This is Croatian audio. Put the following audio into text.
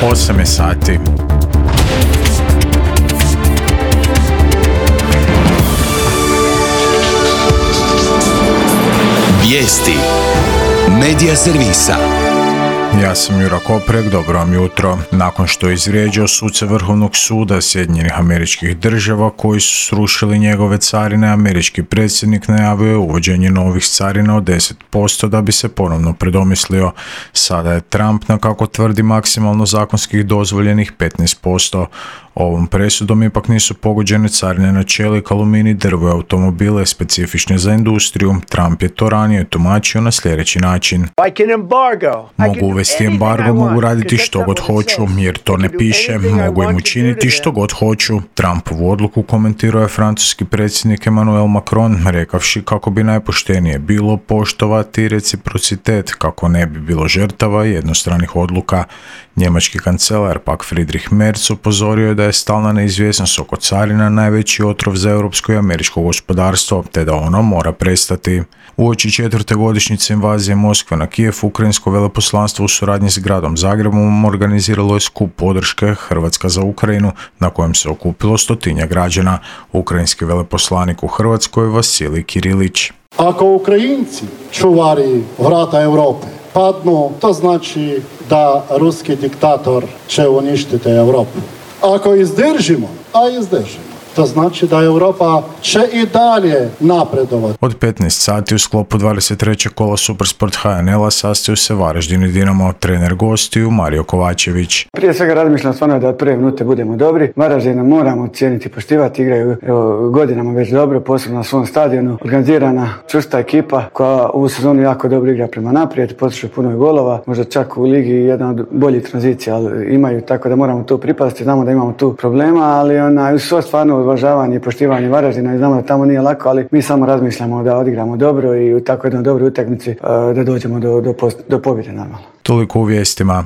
8 je sati. Vijesti Medija servisa. Ja sam Jura Koprek, dobro vam jutro. Nakon što je izvrijeđao suce Vrhovnog suda Sjedinjenih Američkih Država koji su srušili njegove carine, američki predsjednik najavio je uvođenje novih carina od 10% da bi se ponovno predomislio. Sada je Trump na, kako tvrdi, maksimalno zakonskih dozvoljenih 15%. Ovom presudom ipak nisu pogođene carine na čelik, aluminij, drvo i automobile specifične za industriju. Trump je to ranije tumačio na sljedeći način. Mogu uvesti embargo, mogu raditi što god hoću, jer to ne piše, mogu im učiniti što god hoću. Trumpovu odluku komentirao je francuski predsjednik Emmanuel Macron, rekavši kako bi najpoštenije bilo poštovati reciprocitet, kako ne bi bilo žrtava jednostranih odluka. Njemački kancelar pak Friedrich Merz upozorio je da je stalna neizvjesnost oko carina najveći otrov za europsko i američko gospodarstvo, te da ono mora prestati. Uoči 4. godišnjice invazije Moskve na Kijev, ukrajinsko veleposlanstvo u suradnji s gradom Zagrebom organiziralo je skup podrške Hrvatska za Ukrajinu, na kojem se okupilo 100 građana. Ukrajinski veleposlanik u Hrvatskoj Vasilij Kirilić. Ako Ukrajinci, čuvari vrata Europe, padnu, to znači da ruski diktator će uništiti Europu. Ako izdržimo, a izdržimo, to znači da Europa će i dalje napredovati. Od 15 sati u sklopu 23. kola Supersport HNL-a sastaju se Varaždin i Dinamo, trener gostiju Mario Kovačević. Prije svega razmišljam stvarno da od prve minute budemo dobri. Varaždina moramo cijeniti i poštivati, igraju godinama već dobro, posebno na svom stadionu. Organizirana, čvrsta ekipa koja ovu sezonu jako dobro igra prema naprijed, postiže puno golova, možda čak u ligi jedna od boljih tranzicija, ali imaju, tako da moramo tu pripasti. Znamo da imamo tu problema, ali uz svo stvarno uvažavanje i poštivanje Varaždina i znamo da tamo nije lako, ali mi samo razmišljamo da odigramo dobro i u tako jednoj dobroj utakmici da dođemo do pobjede normalno. Toliko u vijestima.